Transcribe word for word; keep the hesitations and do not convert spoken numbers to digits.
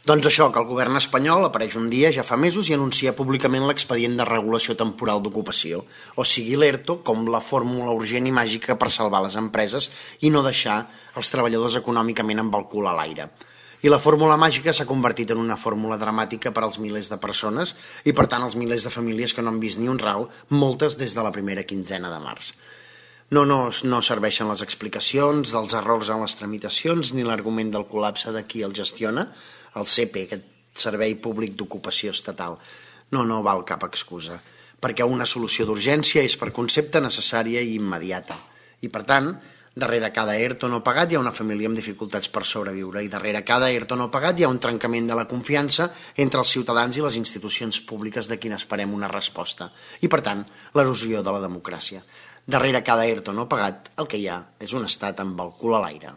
Doncs això, que el govern espanyol apareix un dia, ja fa mesos, i anuncia públicament l'expedient de regulació temporal d'ocupació, o sigui l'ERTO, com la fórmula urgent i màgica per salvar les empreses i no deixar els treballadors econòmicament amb el cul a l'aire. I la fórmula màgica s'ha convertit en una fórmula dramàtica per als milers de persones i, per tant, els milers de famílies que no han vist ni un rau, moltes des de la primera quinzena de març. No, no, no serveixen les explicacions dels errors en les tramitacions ni l'argument del col·lapse de qui el gestiona, el C P, aquest Servei Públic d'Ocupació Estatal. No, no val cap excusa, perquè una solució d'urgència és per concepte necessària i immediata. I per tant, darrere cada ERTO no pagat hi ha una família amb dificultats per sobreviure i darrere cada ERTO no pagat hi ha un trencament de la confiança entre els ciutadans i les institucions públiques de qui n'esperem una resposta. I per tant, l'erosió de la democràcia. Darrere cada ERTO no pagat el que hi ha és un estat amb el cul a l'aire.